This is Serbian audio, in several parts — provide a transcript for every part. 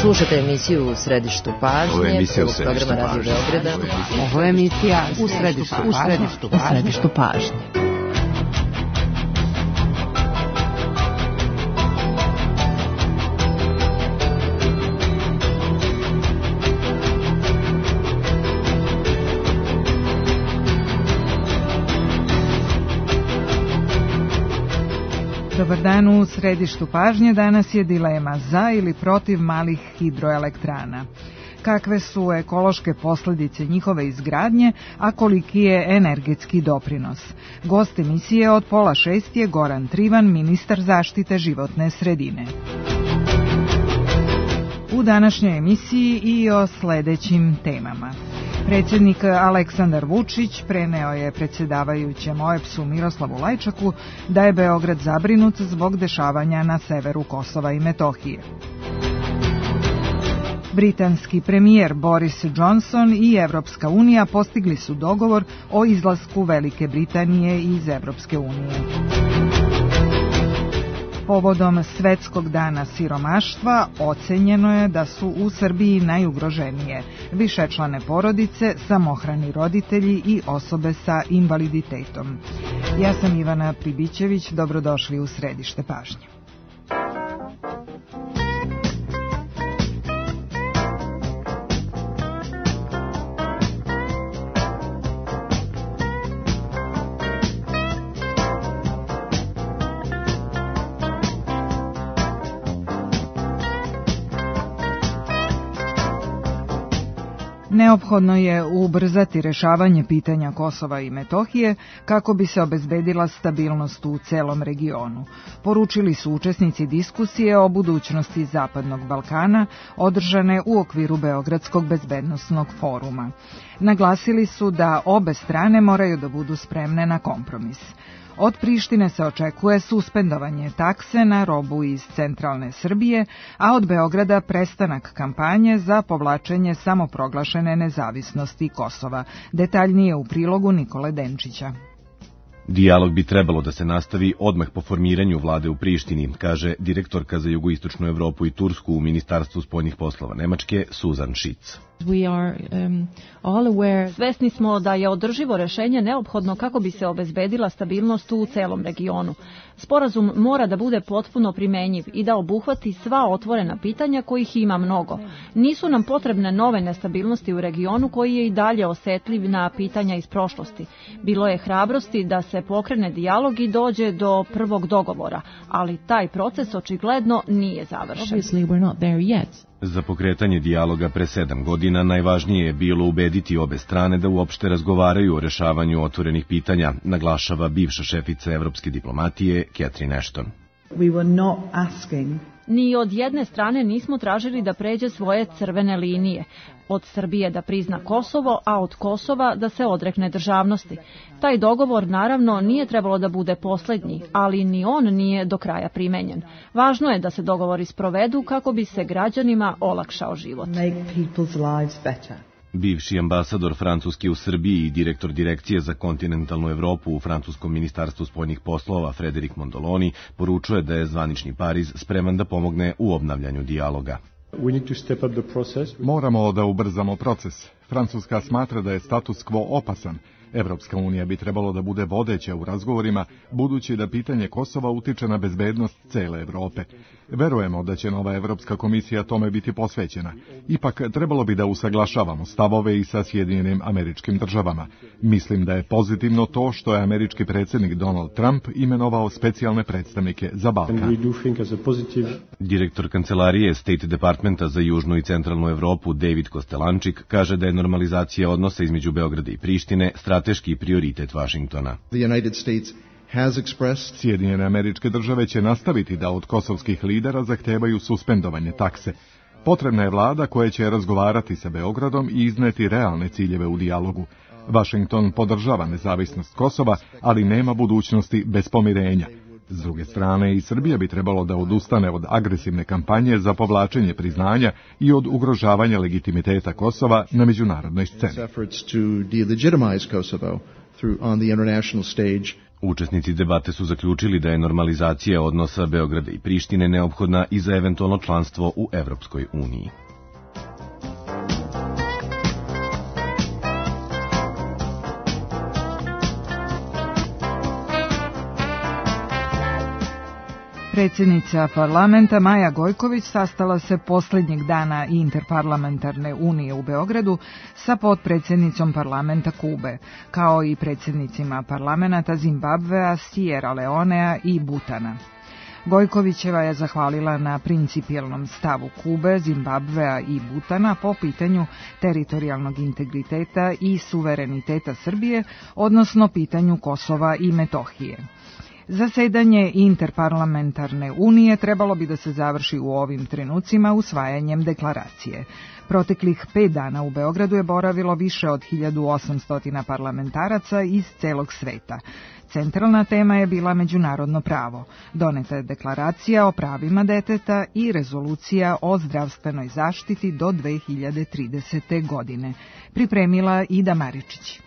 Slušate emisiju U središtu pažnje. Ovo je emisija U središtu pažnje. Ovo je emisija U središtu pažnje. Dobar dan, u središtu pažnje danas je dilema za ili protiv malih hidroelektrana. Kakve su ekološke posljedice njihove izgradnje, a koliki je energetski doprinos? Gost emisije od 5:30 je Goran Trivan, ministar zaštite životne sredine. U današnjoj emisiji i o sljedećim temama. Predsjednik Aleksandar Vučić preneo je predsjedavajućem OEBS-u Miroslavu Lajčaku da je Beograd zabrinut zbog dešavanja na severu Kosova i Metohije. Britanski premijer Boris Johnson i Evropska unija postigli su dogovor o izlasku Velike Britanije iz Evropske unije. Povodom Svetskog dana siromaštva ocenjeno je da su u Srbiji najugroženije višečlane porodice, samohrani roditelji i osobe sa invaliditetom. Ja sam Ivana Pribićević, dobrodošli u središte pažnje. Neophodno je ubrzati rješavanje pitanja Kosova i Metohije kako bi se obezbedila stabilnost u celom regionu. Poručili su učesnici diskusije o budućnosti Zapadnog Balkana održane u okviru Beogradskog bezbednosnog foruma. Naglasili su da obe strane moraju da budu spremne na kompromis. Od Prištine se očekuje suspendovanje takse na robu iz centralne Srbije, a od Beograda prestanak kampanje za povlačenje samoproglašene nezavisnosti Kosova. Detaljnije u prilogu Nikole Denčića. Dijalog bi trebalo da se nastavi odmah po formiranju vlade u Prištini, kaže direktorka za jugoistočnu Evropu i Tursku u Ministarstvu spoljnih poslova Nemačke, Suzan Šic. Svesni smo da je održivo rešenje neophodno kako bi se obezbedila stabilnost u celom regionu. Sporazum mora da bude potpuno primenjiv i da obuhvati sva otvorena pitanja kojih ima mnogo. Nisu nam potrebne nove nestabilnosti u regionu koji je i dalje osetljiv na pitanja iz prošlosti. Bilo je hrabrosti da se pokrene dijalog i dođe do prvog dogovora, ali taj proces očigledno nije završen. Za pokretanje dijaloga pre 7 godina najvažnije je bilo ubediti obe strane da uopšte razgovaraju o rešavanju otvorenih pitanja, naglašava bivša šefica evropske diplomatije Catherine Ashton. Ni od jedne strane nismo tražili da pređe svoje crvene linije. Od Srbije da prizna Kosovo, a od Kosova da se odrekne državnosti. Taj dogovor naravno nije trebalo da bude posljednji, ali ni on nije do kraja primenjen. Važno je da se dogovori sprovedu kako bi se građanima olakšao život. Bivši ambasador Francuske u Srbiji i direktor direkcije za kontinentalnu Evropu u Francuskom ministarstvu spoljnih poslova Frederik Mondoloni poručuje da je zvanični Pariz spreman da pomogne u obnavljanju dijaloga. Moramo da ubrzamo proces. Francuska smatra da je status quo opasan. Evropska unija bi trebalo da bude vodeća u razgovorima, budući da pitanje Kosova utiče na bezbednost cele Evrope. Verujemo da će nova Evropska komisija tome biti posvećena. Ipak, trebalo bi da usaglašavamo stavove i sa Sjedinjenim Američkim Državama. Mislim da je pozitivno to što je američki predsjednik Donald Trump imenovao specijalne predstavnike za Balkan. Direktor kancelarije State Departmenta za Južnu i Centralnu Evropu David Kostelančik kaže da je normalizacija odnosa između Beograda i Prištine strateški prioritet Vašingtona. Sjedinjene Američke Države će nastaviti da od kosovskih lidera zahtevaju suspendovanje takse. Potrebna je vlada koja će razgovarati sa Beogradom i izneti realne ciljeve u dijalogu. Vašington podržava nezavisnost Kosova, ali nema budućnosti bez pomirenja. S druge strane, i Srbija bi trebalo da odustane od agresivne kampanje za povlačenje priznanja i od ugrožavanja legitimiteta Kosova na međunarodnoj sceni. Učesnici debate su zaključili da je normalizacija odnosa Beograda i Prištine neophodna i za eventualno članstvo u Evropskoj uniji. Predsjednica parlamenta Maja Gojković sastala se posljednjeg dana Interparlamentarne unije u Beogradu sa potpredsjednicom parlamenta Kube, kao i predsjednicima parlamenta Zimbabvea, Sierra Leonea i Butana. Gojkovićeva je zahvalila na principijelnom stavu Kube, Zimbabvea i Butana po pitanju teritorijalnog integriteta i suvereniteta Srbije, odnosno pitanju Kosova i Metohije. Zasedanje Interparlamentarne unije trebalo bi da se završi u ovim trenucima usvajanjem deklaracije. Proteklih 5 dana u Beogradu je boravilo više od 1800 parlamentaraca iz celog sveta. Centralna tema je bila međunarodno pravo. Doneta je deklaracija o pravima deteta i rezolucija o zdravstvenoj zaštiti do 2030. godine. Pripremila Ida Maričić.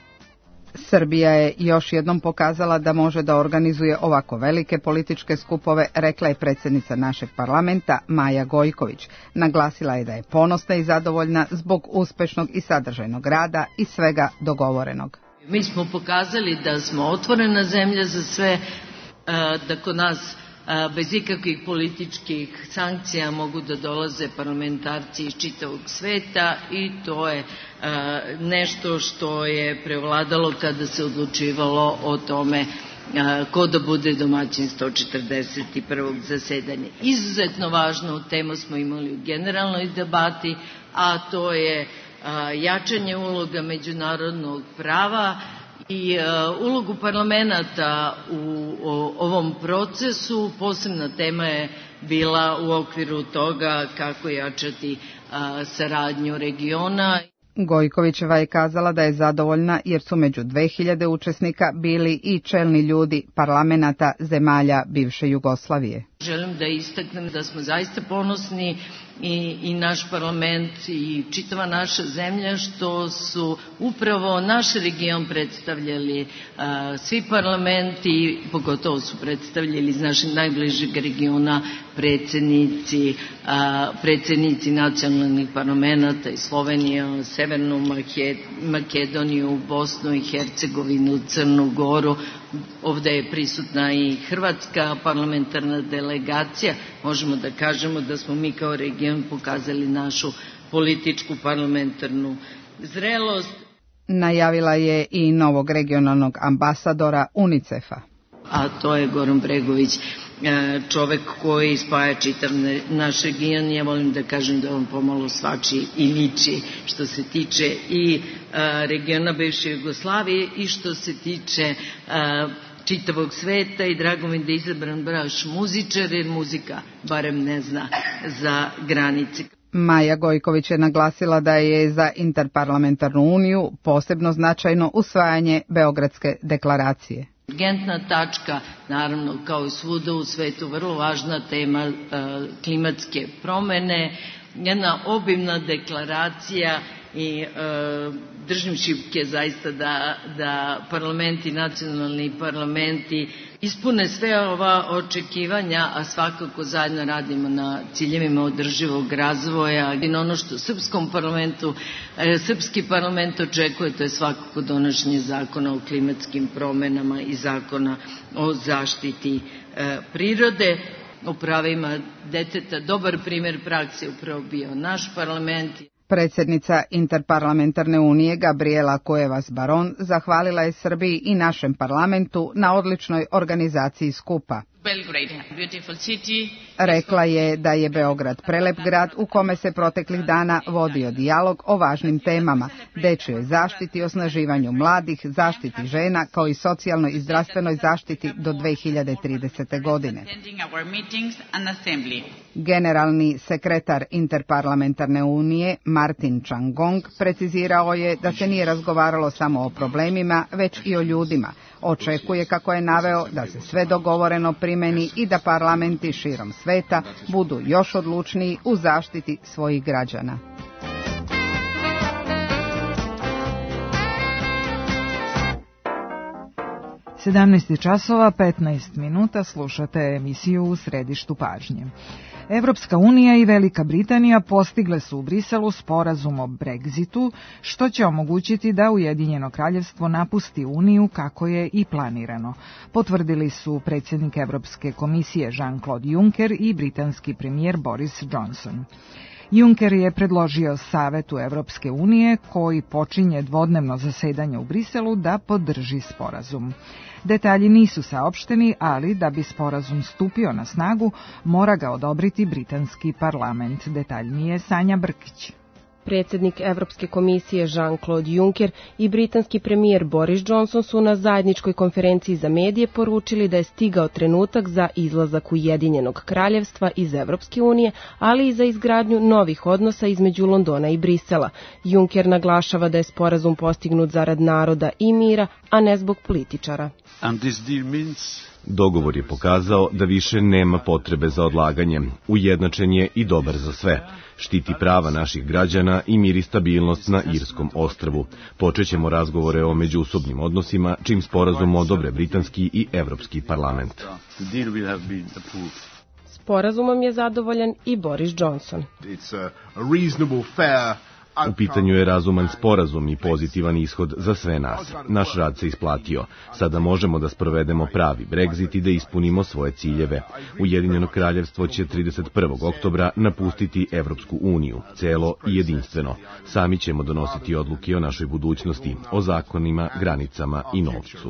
Srbija je još jednom pokazala da može da organizuje ovako velike političke skupove, rekla je predsjednica našeg parlamenta Maja Gojković. Naglasila je da je ponosna i zadovoljna zbog uspešnog i sadržajnog rada i svega dogovorenog. Mi smo pokazali da smo otvorena zemlja za sve, da kod nas bez ikakvih političkih sankcija mogu da dolaze parlamentarci iz čitavog sveta i to je nešto što je prevladalo kada se odlučivalo o tome ko da bude domaćin 141. zasedanja. Izuzetno važnu temu smo imali u generalnoj debati, a to je jačanje uloga međunarodnog prava i ulogu parlamenta u ovom procesu. Posebna tema je bila u okviru toga kako jačati saradnju regiona. Gojkovićeva je kazala da je zadovoljna jer su među 2000 učesnika bili i čelni ljudi parlamenata zemalja bivše Jugoslavije. Želim da istaknem da smo zaista ponosni i naš parlament i čitava naša zemlja što su upravo naš region predstavljali svi parlamenti, pogotovo su predstavljali iz našeg najbližeg regiona predsjednici nacionalnih parlamenta iz Slovenije, Severnu Makedoniju, Bosnu i Hercegovinu, Crnu Goru. Ovdje je prisutna i hrvatska parlamentarna delegacija. Možemo da kažemo da smo mi kao region pokazali našu političku parlamentarnu zrelost. Najavila je i novog regionalnog ambasadora UNICEF-a. A to je Goran Bregović, čovek koji spaja čitav naš region. Ja volim da kažem da on pomalo svači i liči što se tiče i regiona bivše Jugoslavije i što se tiče čitavog sveta i drago mi da je izabran baš muzičar jer muzika barem ne zna za granice. Maja Gojković je naglasila da je za Interparlamentarnu uniju posebno značajno usvajanje Beogradske deklaracije. Urgentna tačka, naravno kao i svuda u svetu, vrlo važna tema klimatske promene, jedna obimna deklaracija i držim šipke zaista da parlamenti, nacionalni parlamenti ispune sve ova očekivanja, a svakako zajedno radimo na ciljevima održivog razvoja. I ono što srpski parlament očekuje, to je svakako donošenje zakona o klimatskim promenama i zakona o zaštiti prirode. O pravima deteta dobar primjer prakse upravo bio naš parlament. Predsjednica Interparlamentarne unije Gabriela Cuevas Baron zahvalila je Srbiji i našem parlamentu na odličnoj organizaciji skupa. Rekla je da je Beograd prelep grad u kome se proteklih dana vodio dijalog o važnim temama, dečjoj zaštiti, osnaživanju mladih, zaštiti žena, kao i socijalnoj i zdravstvenoj zaštiti do 2030. godine. Generalni sekretar Interparlamentarne unije Martin Changong precizirao je da se nije razgovaralo samo o problemima, već i o ljudima. Očekuje, kako je naveo, da se sve dogovoreno primeni i da parlamenti širom sveta budu još odlučniji u zaštiti svojih građana. 17 časova 15 minuta, slušate emisiju U središtu pažnje. Evropska unija i Velika Britanija postigle su u Briselu sporazum o Brexitu, što će omogućiti da Ujedinjeno kraljevstvo napusti Uniju kako je i planirano. Potvrdili su predsjednik Evropske komisije Jean-Claude Juncker i britanski premijer Boris Johnson. Juncker je predložio Savetu Evropske unije, koji počinje dvodnevno zasedanje u Briselu, da podrži sporazum. Detalji nisu saopšteni, ali da bi sporazum stupio na snagu, mora ga odobriti britanski parlament. Detaljnije Sanja Brkić. Predsjednik Evropske komisije Jean-Claude Juncker i britanski premijer Boris Johnson su na zajedničkoj konferenciji za medije poručili da je stigao trenutak za izlazak Ujedinjenog kraljevstva iz Evropske unije, ali i za izgradnju novih odnosa između Londona i Brisela. Juncker naglašava da je sporazum postignut zarad naroda i mira, a ne zbog političara. Dogovor je pokazao da više nema potrebe za odlaganje. Ujednačen je i dobar za sve. Štiti prava naših građana i mir i stabilnost na Irskom ostrvu. Počećemo razgovore o međusobnim odnosima, čim sporazum odobre britanski i evropski parlament. Sporazumom je zadovoljan i Boris Johnson. U pitanju je razuman sporazum i pozitivan ishod za sve nas. Naš rad se isplatio. Sada možemo da sprovedemo pravi Brexit i da ispunimo svoje ciljeve. Ujedinjeno kraljevstvo će 31. oktobra napustiti Evropsku uniju, celo i jedinstveno. Sami ćemo donositi odluke o našoj budućnosti, o zakonima, granicama i novcu.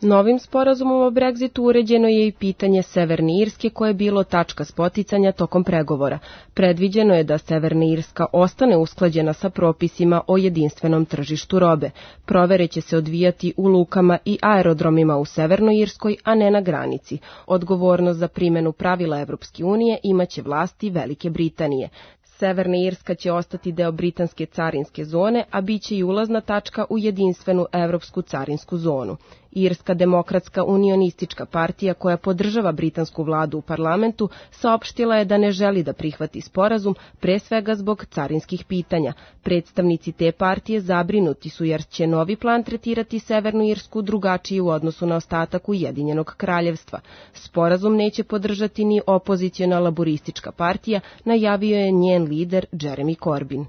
Novim sporazumom o Brexitu uređeno je i pitanje Severne Irske, koje je bilo tačka spoticanja tokom pregovora. Predviđeno je da Severna Irska ostane usklađena sa propisima o jedinstvenom tržištu robe. Provere će se odvijati u lukama i aerodromima u Severnoj Irskoj, a ne na granici. Odgovornost za primjenu pravila Evropske unije imaće vlasti Velike Britanije. Severna Irska će ostati deo britanske carinske zone, a bit će i ulazna tačka u jedinstvenu evropsku carinsku zonu. Irska demokratska unionistička partija, koja podržava britansku vladu u parlamentu, saopštila je da ne želi da prihvati sporazum, pre svega zbog carinskih pitanja. Predstavnici te partije zabrinuti su jer će novi plan tretirati Severnu Irsku drugačije u odnosu na ostatak Ujedinjenog kraljevstva. Sporazum neće podržati ni opoziciona laboristička partija, najavio je njen lider Jeremy Corbyn.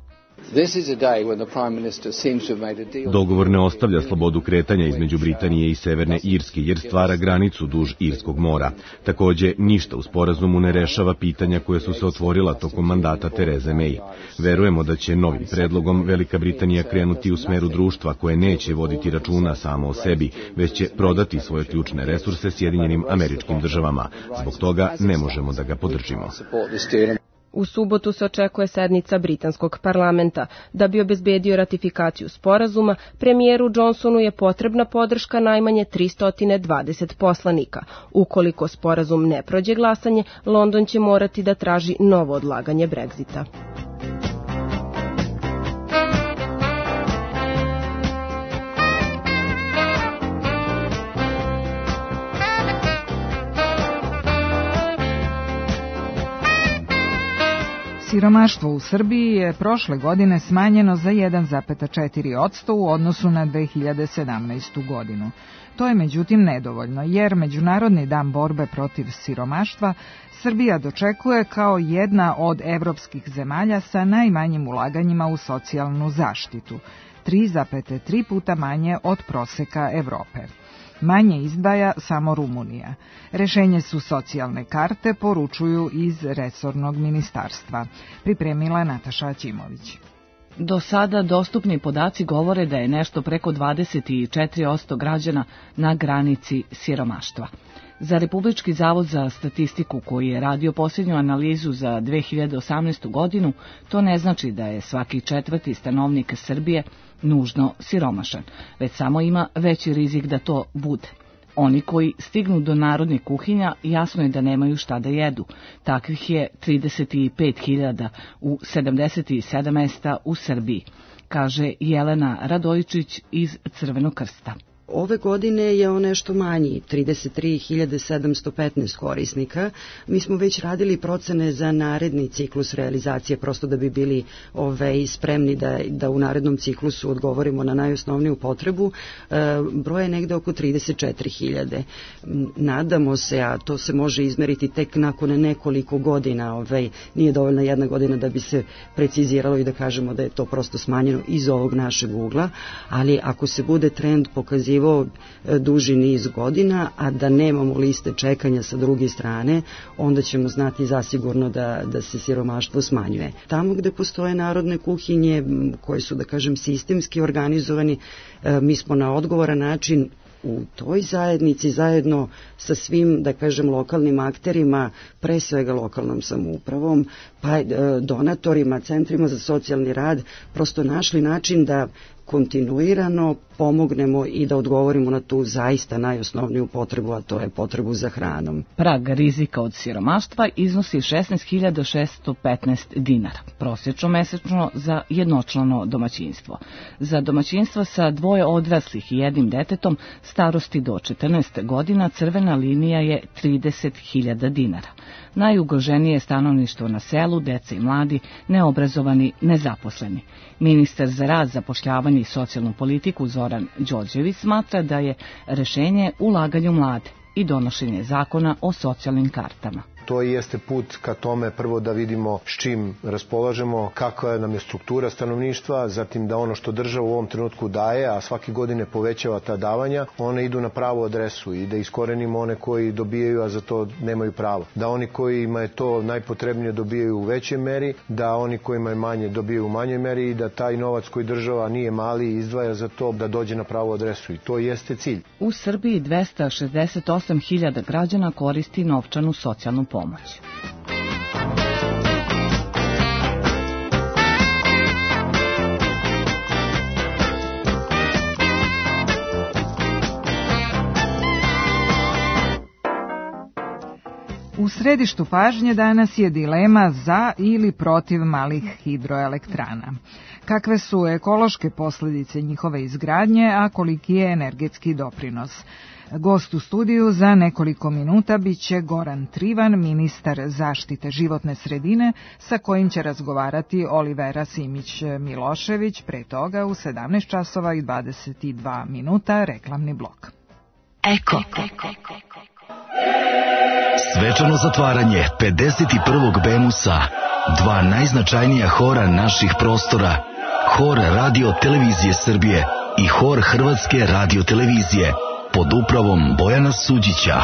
Dogovor ne ostavlja slobodu kretanja između Britanije i Severne Irske, jer stvara granicu duž Irskog mora. Takođe, ništa u sporazumu ne rešava pitanja koje su se otvorila tokom mandata Tereze May. Verujemo da će novim predlogom Velika Britanija krenuti u smeru društva koje neće voditi računa samo o sebi, već će prodati svoje ključne resurse Sjedinjenim Američkim Državama. Zbog toga ne možemo da ga podržimo. U subotu se očekuje sednica britanskog parlamenta. Da bi obezbedio ratifikaciju sporazuma, premijeru Johnsonu je potrebna podrška najmanje 320 poslanika. Ukoliko sporazum ne prođe glasanje, London će morati da traži novo odlaganje Brexita. Siromaštvo u Srbiji je prošle godine smanjeno za 1,4% u odnosu na 2017. godinu. To je međutim nedovoljno, jer Međunarodni dan borbe protiv siromaštva Srbija dočekuje kao jedna od evropskih zemalja sa najmanjim ulaganjima u socijalnu zaštitu, 3,3 puta manje od proseka Evrope. Manje izdvaja samo Rumunija. Rešenje su socijalne karte, poručuju iz resornog ministarstva. Pripremila je Nataša Ćimović. Do sada dostupni podaci govore da je nešto preko 24% građana na granici siromaštva. Za Republički zavod za statistiku, koji je radio posljednju analizu za 2018. godinu, to ne znači da je svaki četvrti stanovnik Srbije nužno siromašan, već samo ima veći rizik da to bude. Oni koji stignu do narodnih kuhinja jasno je da nemaju šta da jedu. Takvih je 35.000 u 77 mesta u Srbiji, kaže Jelena Radojičić iz Crvenog krsta. Ove godine je on nešto manji, 33.715 korisnika. Mi smo već radili procene za naredni ciklus realizacije, prosto da bi bili spremni da u narednom ciklusu odgovorimo na najosnovniju potrebu. Broj je negde oko 34.000. Nadamo se, a to se može izmeriti tek nakon nekoliko godina, nije dovoljna jedna godina da bi se preciziralo i da kažemo da je to prosto smanjeno iz ovog našeg ugla, ali ako se bude trend pokazivao duži niz godina, a da nemamo liste čekanja sa druge strane, onda ćemo znati zasigurno da se siromaštvo smanjuje. Tamo gde postoje narodne kuhinje, koje su, da kažem, sistemski organizovani, mi smo na odgovoran način u toj zajednici zajedno sa svim, da kažem, lokalnim akterima, pre svega lokalnom samoupravom, pa donatorima, centrima za socijalni rad, prosto našli način da kontinuirano pomognemo i da odgovorimo na tu zaista najosnovniju potrebu, a to je potrebu za hranom. Prag rizika od siromaštva iznosi 16.615 dinara, prosječno mesečno za jednočlano domaćinstvo. Za domaćinstva sa 2 odraslih i 1 detetom starosti do 14 godina crvena linija je 30.000 dinara. Najugroženije je stanovništvo na selu, deca i mladi, neobrazovani, nezaposleni. Ministar za rad, zapošljavanje i socijalnu politiku Zoran Đorđević smatra da je rešenje ulaganje u mlade i donošenje zakona o socijalnim kartama. To jeste put ka tome prvo da vidimo s čim raspolažemo, kakva nam je struktura stanovništva, zatim da ono što država u ovom trenutku daje, a svake godine povećava ta davanja, one idu na pravu adresu i da iskorenimo one koji dobijaju, a za to nemaju pravo. Da oni kojima je to najpotrebnije dobijaju u većoj meri, da oni kojima je manje dobijaju u manjoj meri i da taj novac koji država nije mali i izdvaja za to da dođe na pravu adresu. I to jeste cilj. U Srbiji 268.000 građana koristi novčanu socijalnu pomoć. U središtu pažnje danas je dilema za ili protiv malih hidroelektrana. Kakve su ekološke posljedice njihove izgradnje, a koliki je energetski doprinos? Gost u studiju za nekoliko minuta biće Goran Trivan, ministar zaštite životne sredine, sa kojim će razgovarati Olivera Simić-Milošević. Pre toga u 17 časova i 22 minuta reklamni blok. Eko. Svečano zatvaranje 51. Bemusa, 2 najznačajnija hora naših prostora, Hor Radio Televizije Srbije i Hor Hrvatske Radio Televizije, pod upravom Bojana Suđića.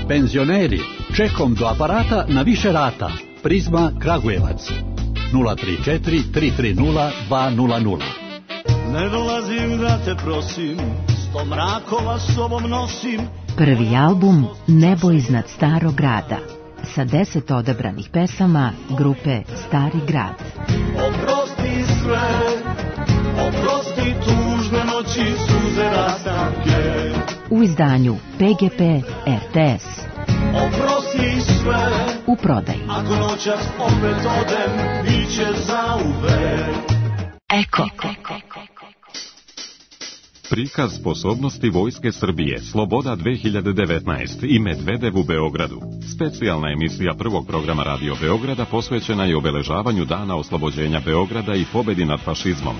Penzioneri, čekom do aparata na više rata. Prizma Kragujevac 034 330 200. Ne dolazim da te prosim, 100 mrakova sobom nosim. Prvi album Nebo iznad starog grada, sa 10 odabranih pesama grupe Stari grad. Oprosti sve, oprosti tužne noći, suze rastanke. U izdanju PGP RTS. Oprosti sve, u prodaji. Ako noćas opet odem, biće zauvek. Eko. Prikaz sposobnosti Vojske Srbije, Sloboda 2019 i Medvedev u Beogradu. Specijalna emisija prvog programa Radio Beograda posvećena je obeležavanju Dana oslobođenja Beograda i pobedi nad fašizmom.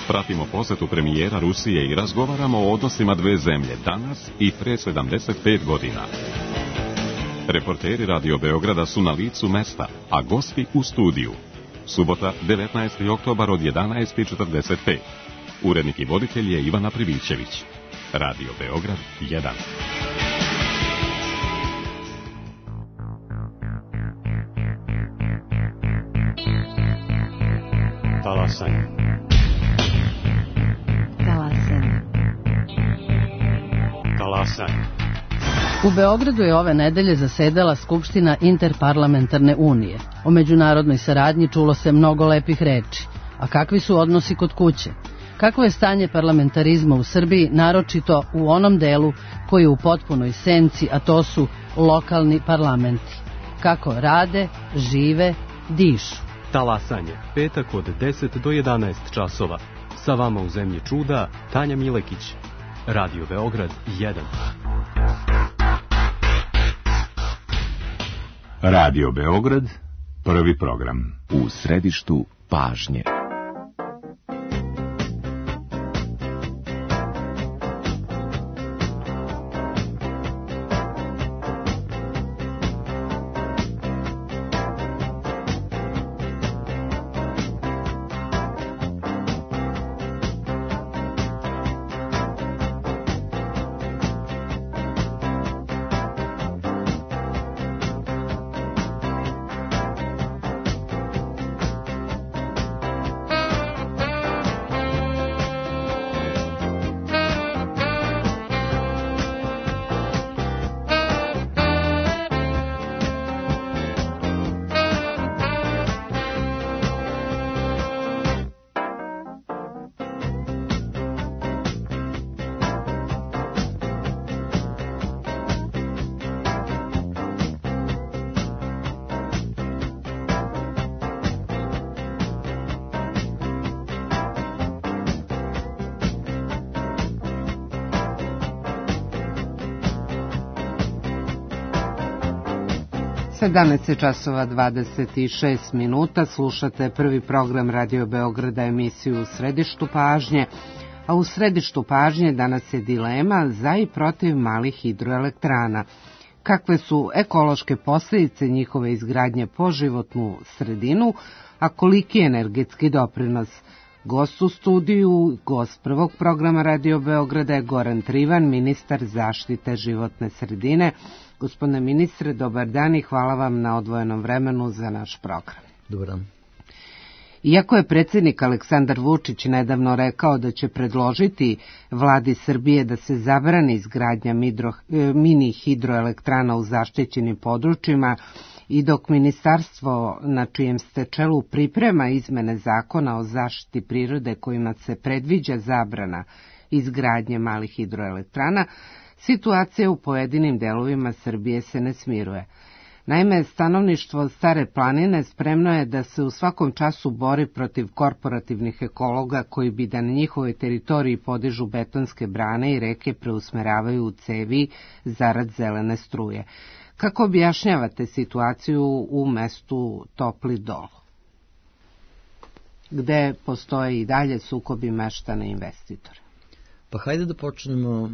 Pratimo posetu premijera Rusije i razgovaramo o odnosima dve zemlje danas i pre 75 godina. Reporteri Radio Beograda su na licu mesta, a gosti u studiju. Subota, 19. oktobar od 11:45. Urednik i voditelj je Ivana Privićević. Radio Beograd 1. Talasanje. U Beogradu je ove nedelje zasedala Skupština Interparlamentarne unije. O međunarodnoj saradnji čulo se mnogo lepih reči. A kakvi su odnosi kod kuće? Kakvo je stanje parlamentarizma u Srbiji, naročito u onom delu koji je u potpunoj senci, a to su lokalni parlamenti? Kako rade, žive, dišu? Talasanje, petak od 10 do 11 časova. Sa vama u zemlji čuda, Tanja Milekić. Radio Beograd 1. Radio Beograd, prvi program. U središtu pažnje. Danas je časova 26 minuta, slušate prvi program Radio Beograda, emisiju U središtu pažnje, a u središtu pažnje danas je dilema za i protiv malih hidroelektrana. Kakve su ekološke posljedice njihove izgradnje po životnu sredinu, a koliki je energetski doprinos? Gost u studiju, gost prvog programa Radio Beograda je Goran Trivan, ministar zaštite životne sredine. Gospodine ministre, dobar dan i hvala vam na odvojenom vremenu za naš program. Dobar dan. Iako je predsjednik Aleksandar Vučić nedavno rekao da će predložiti vladi Srbije da se zabrani izgradnja mini hidroelektrana u zaštićenim područjima i dok ministarstvo na čijem ste čelu priprema izmene zakona o zaštiti prirode kojima se predviđa zabrana izgradnje malih hidroelektrana, situacija u pojedinim delovima Srbije se ne smiruje. Naime, stanovništvo Stare planine spremno je da se u svakom času bori protiv korporativnih ekologa koji bi da na njihovoj teritoriji podižu betonske brane i reke preusmeravaju u cevi zarad zelene struje. Kako objašnjavate situaciju u mestu Topli Dol, gde postoje i dalje sukobi meštana i investitora? Pa hajde da počnemo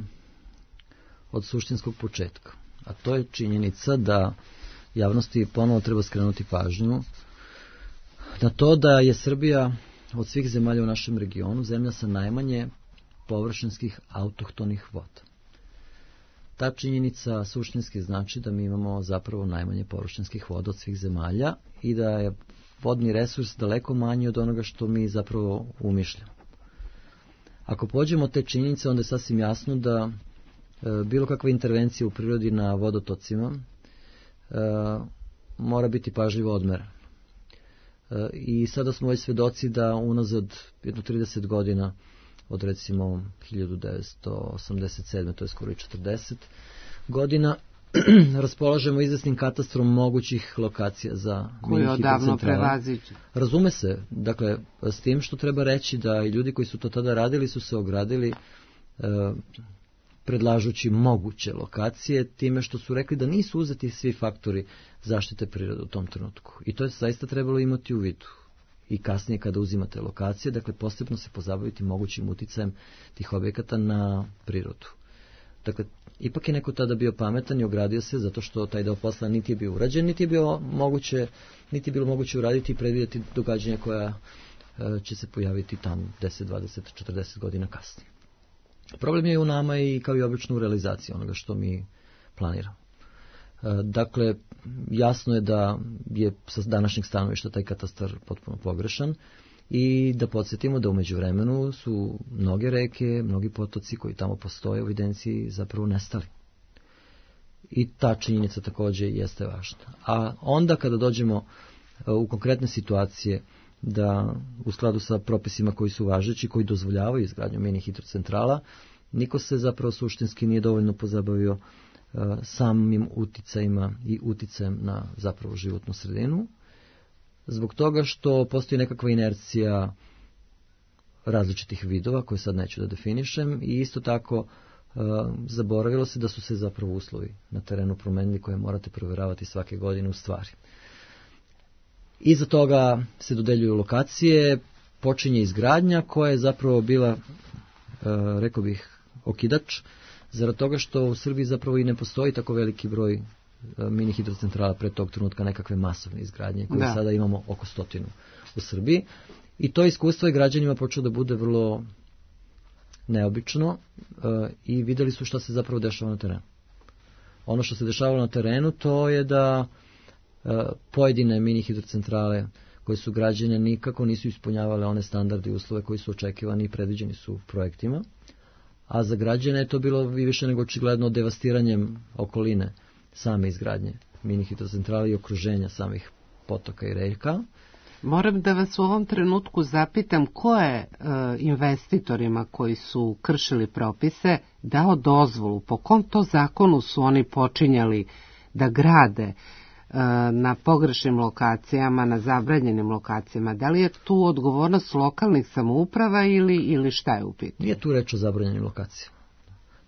od suštinskog početka, a to je činjenica da javnosti ponovo treba skrenuti pažnju na to da je Srbija od svih zemalja u našem regionu zemlja sa najmanje površinskih autohtonih voda. Ta činjenica suštinski znači da mi imamo zapravo najmanje površinskih voda od svih zemalja i da je vodni resurs daleko manji od onoga što mi zapravo umišljamo. Ako pođemo od te činjenice, onda je sasvim jasno da bilo kakva intervencija u prirodi na vodotocima mora biti pažljivo odmerena. I sada smo već svedoci da unazad jedno 30 godina, od recimo 1987. to je skoro i 40 godina, raspolažemo izvesnim katastrom mogućih lokacija za mini hidrocentrale. Razume se, dakle, s tim što treba reći da i ljudi koji su to tada radili su se ogradili predlažući moguće lokacije, time što su rekli da nisu uzeti svi faktori zaštite prirode u tom trenutku. I to je zaista trebalo imati u vidu. I kasnije kada uzimate lokacije, dakle posebno se pozabaviti mogućim uticajem tih objekata na prirodu. Dakle, ipak je neko tada bio pametan i ogradio se zato što taj deo posla niti je bio urađen, niti je bilo moguće uraditi i predvidjeti događanja koja će se pojaviti tamo 10, 20, 40 godina kasnije. Problem je u nama i kao i obično u realizaciji onoga što mi planiramo. Dakle, jasno je da je sa današnjeg stanovišta taj katastar potpuno pogrešan i da podsjetimo da u međuvremenu su mnoge reke, mnogi potoci koji tamo postoje u evidenciji zapravo nestali. I ta činjenica također jeste važna. A onda kada dođemo u konkretne situacije da u skladu sa propisima koji su važeći, koji dozvoljavaju izgradnju mini hidrocentrala, niko se zapravo suštinski nije dovoljno pozabavio samim uticajima i uticajem na zapravo životnu sredinu, zbog toga što postoji nekakva inercija različitih vidova koje sad neću da definišem i isto tako zaboravilo se da su se zapravo uslovi na terenu promenili koje morate provjeravati svake godine u stvari. Iza toga se dodeljuju lokacije, počinje izgradnja koja je zapravo bila, rekao bih, okidač, zarad toga što u Srbiji zapravo i ne postoji tako veliki broj mini hidrocentrala pre tog trenutka nekakve masovne izgradnje koje sada imamo oko 100 u Srbiji i to iskustvo je građanima počelo da bude vrlo neobično i videli su šta se zapravo dešava na terenu. Ono što se dešavalo na terenu to je da pojedine mini hidrocentrale koje su građene nikako nisu ispunjavale one standarde i uslove koji su očekivani i predviđeni su u projektima, a za građane je to bilo i više nego očigledno devastiranjem okoline same izgradnje mini hidrocentrale i okruženja samih potoka i reka. Moram da vas u ovom trenutku zapitam ko je investitorima koji su kršili propise dao dozvolu, po kom to zakonu su oni počinjali da grade na pogrešnim lokacijama, na zabranjenim lokacijama. Da li je tu odgovornost lokalnih samouprava ili šta je u pitanju? Nije tu reč o zabranjenim lokacijama.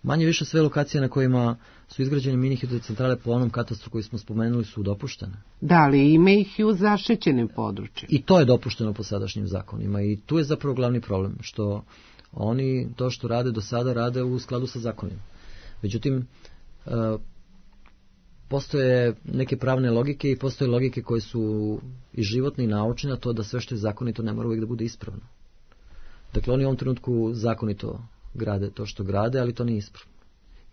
Manje više sve lokacije na kojima su izgrađene mini hidrocentrale po onom katastru koji smo spomenuli su dopuštene. Da, ali ima ih i u zaštićenim područjima. I to je dopušteno po sadašnjim zakonima i tu je zapravo glavni problem, što oni to što rade do sada rade u skladu sa zakonima. Međutim, postoje neke pravne logike i postoje logike koje su i životne i naučne, a to da sve što je zakonito ne mora uvijek da bude ispravno. Dakle, oni u ovom trenutku zakonito grade to što grade, ali to nije ispravno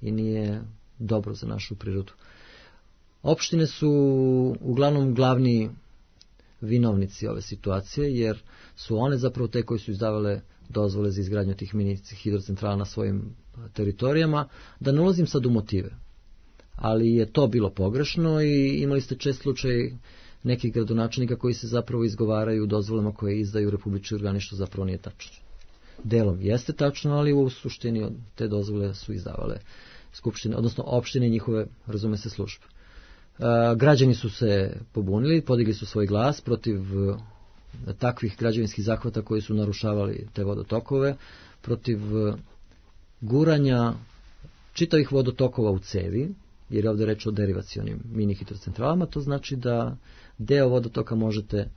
i nije dobro za našu prirodu. Opštine su uglavnom glavni vinovnici ove situacije, jer su one zapravo te koji su izdavale dozvole za izgradnju tih mini hidrocentrala na svojim teritorijama. Da ne ulazim sad u motive, ali je to bilo pogrešno i imali ste čest slučaj nekih gradonačelnika koji se zapravo izgovaraju dozvolama koje izdaju republički organi, što zapravo nije tačno. Delom jeste tačno, ali u suštini te dozvole su izdavale skupštine, odnosno opštine i njihove, razume se, službe. Građani su se pobunili, podigli su svoj glas protiv takvih građevinskih zahvata koji su narušavali te vodotokove, protiv guranja čitavih vodotokova u cevi, jer je ovdje reč o derivacionim mini hidrocentralama, to znači da deo vodotoka možete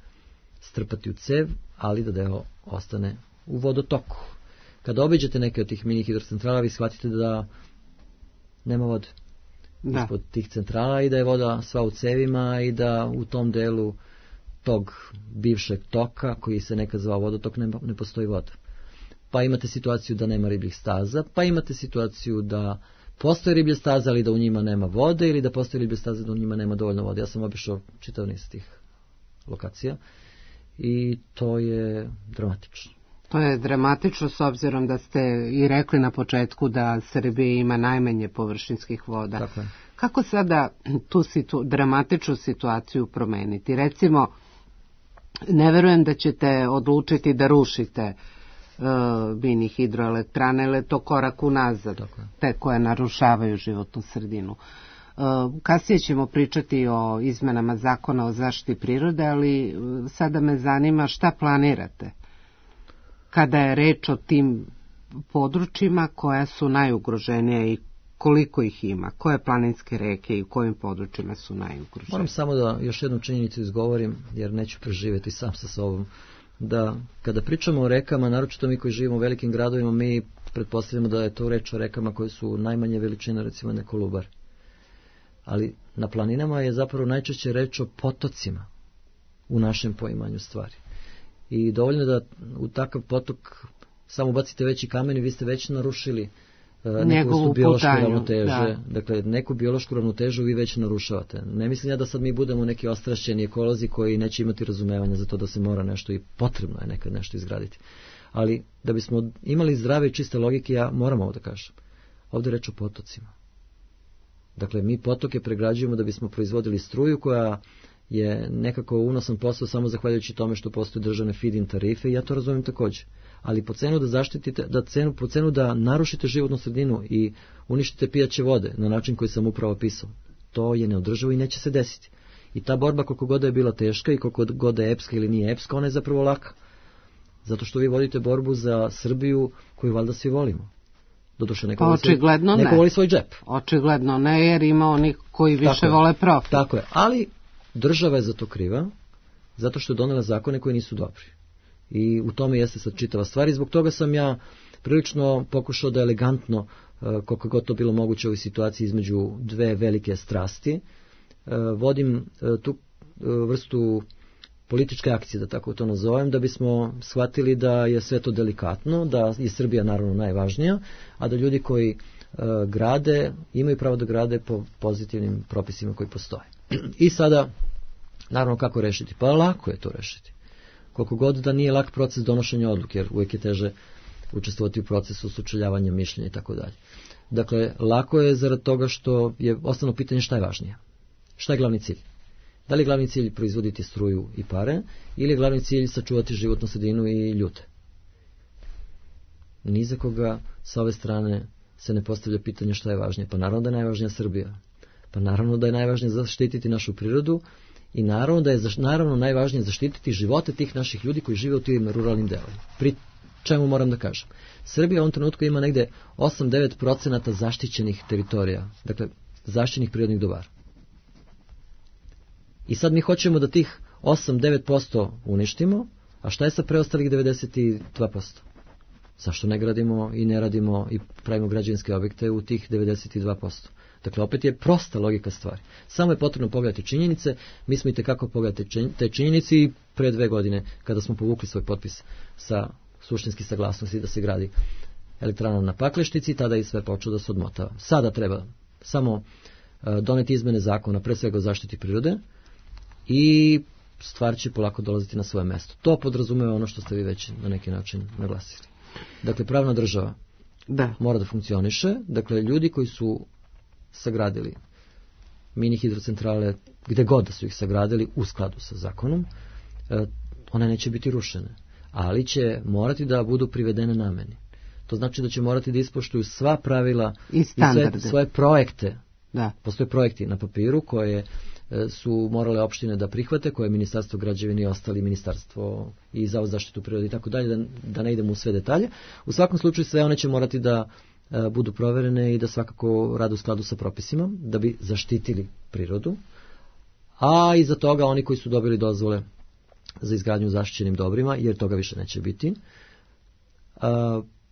strpati u cev, ali da deo ostane u vodotoku. Kada obiđete neke od tih mini hidrocentrala, vi shvatite da nema vode ispod tih centrala i da je voda sva u cevima i da u tom delu tog bivšeg toka, koji se nekad zvao vodotok, ne postoji voda. Pa imate situaciju da nema ribljih staza, pa imate situaciju da postoje riblje staze, ali da u njima nema vode, ili da postoje riblje staze, da u njima nema dovoljno vode. Ja sam obišao čitav niz tih lokacija i to je dramatično. To je dramatično s obzirom da ste i rekli na početku da Srbija ima najmanje površinskih voda. Tako je. Kako sada tu dramatičnu situaciju promeniti? Recimo, ne verujem da ćete odlučiti da rušite mini hidroelektrane, ili je to korak unazad, te koje narušavaju životnu sredinu. Kasnije ćemo pričati o izmenama zakona o zaštiti prirode, ali sada me zanima šta planirate kada je reč o tim područjima koja su najugroženija i koliko ih ima, koje planinske reke i u kojim područjima su najugroženije. Moram samo da još jednu činjenicu izgovorim, jer neću preživjeti sam sa sobom, da kada pričamo o rekama, naročito mi koji živimo u velikim gradovima, mi pretpostavljamo da je to reč o rekama koje su najmanje veličine, recimo ne Kolubar. Ali na planinama je zapravo najčešće reč o potocima u našem poimanju stvari. I dovoljno da u takav potok samo bacite veći kamen i vi ste već narušili neku vrstu biološke ravnoteže. Dakle, neku biološku ravnotežu vi već narušavate. Ne mislim ja da sad mi budemo neki ostrašćeni ekolozi koji neće imati razumevanja za to da se mora nešto i potrebno je nekad nešto izgraditi. Ali da bismo imali zdrave i čiste logike, ja moram ovo da kažem. Ovdje je reč o potocima. Dakle, mi potoke pregrađujemo da bismo proizvodili struju koja je nekako unosan posao samo zahvaljujući tome što postoje državne feed-in tarife i ja to razumijem također. Ali po cenu da zaštitite, po cenu da narušite životnu sredinu i uništite pijaće vode na način koji sam upravo pisao, to je neodrživo i neće se desiti. I ta borba koliko god je bila teška i koliko god je epska ili nije epska, ona je zapravo laka. Zato što vi vodite borbu za Srbiju koju valjda svi volimo. Doduše, neko voli svoj džep. Očigledno ne, jer ima onih koji više vole profit. Tako je, ali država je za to kriva, zato što je donela zakone koji nisu dobri. I u tome jeste sad čitava stvar i zbog toga sam ja prilično pokušao da elegantno, koliko god to bilo moguće u ovoj situaciji između dve velike strasti, vodim tu vrstu političke akcije, da tako to nazovem, da bismo shvatili da je sve to delikatno, da je Srbija naravno najvažnija, a da ljudi koji grade, imaju pravo da grade po pozitivnim propisima koji postoje. I sada, naravno kako rešiti? Pa lako je to rešiti. Koliko god da nije lak proces donošenja odluke, jer uvijek je teže učestvovati u procesu sučeljavanja mišljenja i tako dalje. Dakle, lako je zarad toga što je osnovno pitanje šta je važnije. Šta je glavni cilj? Da li je glavni cilj proizvoditi struju i pare ili je glavni cilj sačuvati životnu sredinu i ljude? Ni za koga sa ove strane se ne postavlja pitanje šta je važnije. Pa naravno da je najvažnija Srbija. Pa naravno da je najvažnije zaštititi našu prirodu i naravno da je najvažnije zaštititi živote tih naših ljudi koji žive u tim ruralnim delovima. Pri čemu moram da kažem? Srbija u ovom trenutku ima negde 8-9% zaštićenih teritorija, dakle zaštićenih prirodnih dobara. I sad mi hoćemo da tih 8-9% uništimo, a šta je sa preostalih 92%? Zašto ne gradimo i ne radimo i pravimo građevinske objekte u tih 92%? Dakle, opet je prosta logika stvari. Samo je potrebno pogledati činjenice, mi smo i tekako pogledati te činjenice i pre 2 godine, kada smo povukli svoj potpis sa suštinski saglasnosti da se gradi elektrana na Paklešnici, tada je sve počelo da se odmotava. Sada treba samo doneti izmene zakona, pre svega o zaštiti prirode, i stvar će polako dolaziti na svoje mesto. To podrazumeva ono što ste vi već na neki način naglasili. Dakle, pravna država mora da funkcioniše. Dakle, ljudi koji su sagradili mini hidrocentrale, gde god da su ih sagradili u skladu sa zakonom, one neće biti rušene, ali će morati da budu privedene nameni. To znači da će morati da ispoštuju sva pravila i sve svoje projekte. Postoje projekti na papiru koje su morale opštine da prihvate, koje je Ministarstvo građevine i ostali ministarstvo i Zavod za zaštitu prirode i tako dalje, da ne idemo u sve detalje. U svakom slučaju sve one će morati da budu proverene i da svakako rade u skladu sa propisima, da bi zaštitili prirodu, a iza toga oni koji su dobili dozvole za izgradnju zaštićenim dobrima, jer toga više neće biti,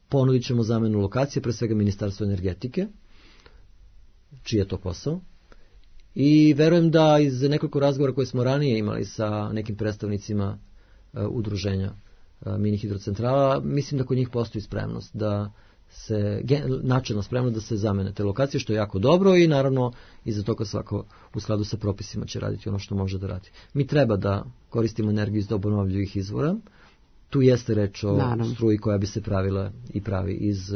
ponudit ćemo zamenu lokacije, pre svega Ministarstvo energetike, čiji je to posao. I verujem da iz nekoliko razgovora koje smo ranije imali sa nekim predstavnicima udruženja mini hidrocentrala, mislim da kod njih postoji spremnost da se, načelno spremno da se zamene te lokacije, što je jako dobro i naravno iza toga svako u skladu sa propisima će raditi ono što može da radi. Mi treba da koristimo energiju iz obnovljivih izvora. Tu jeste reč o struji koja bi se pravila i pravi iz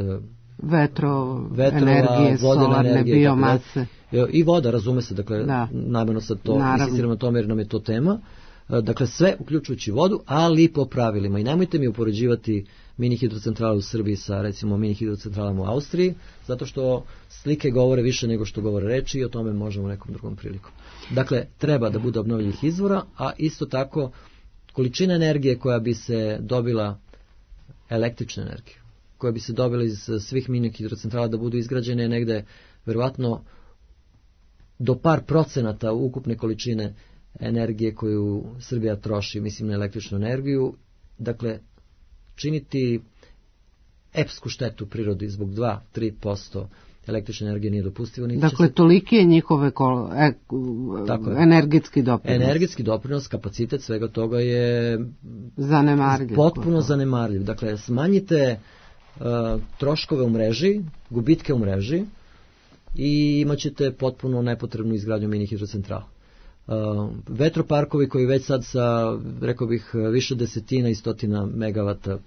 vetrova, energije, solarne, biomase. I voda, razume se, dakle, namjerno sad to insistiramo na tome jer nam je to tema. Dakle, sve uključujući vodu, ali po pravilima. I nemojte mi upoređivati mini hidrocentrale u Srbiji sa, recimo, mini hidrocentralama u Austriji, zato što slike govore više nego što govore reči i o tome možemo nekom drugom prilikom. Dakle, treba da bude obnovljivih izvora, a isto tako količina energije koja bi se dobila, električna energija, koja bi se dobila iz svih mini hidrocentrala da budu izgrađene negde, verovatno, do par procenata ukupne količine energije koju Srbija troši, mislim na električnu energiju, dakle, činiti epsku štetu prirodi zbog 2-3% električne energije nije dopustivo. Dakle, toliki je njihove energetski doprinos. Energetski doprinos, kapacitet svega toga je zanemarljiv. Potpuno zanemarljiv. Dakle, smanjite troškove u mreži, gubitke u mreži i imat ćete potpuno nepotrebnu izgradnju mini hidrocentrala. Vetroparkovi koji već sad sa, rekao bih, više desetina i stotina megavata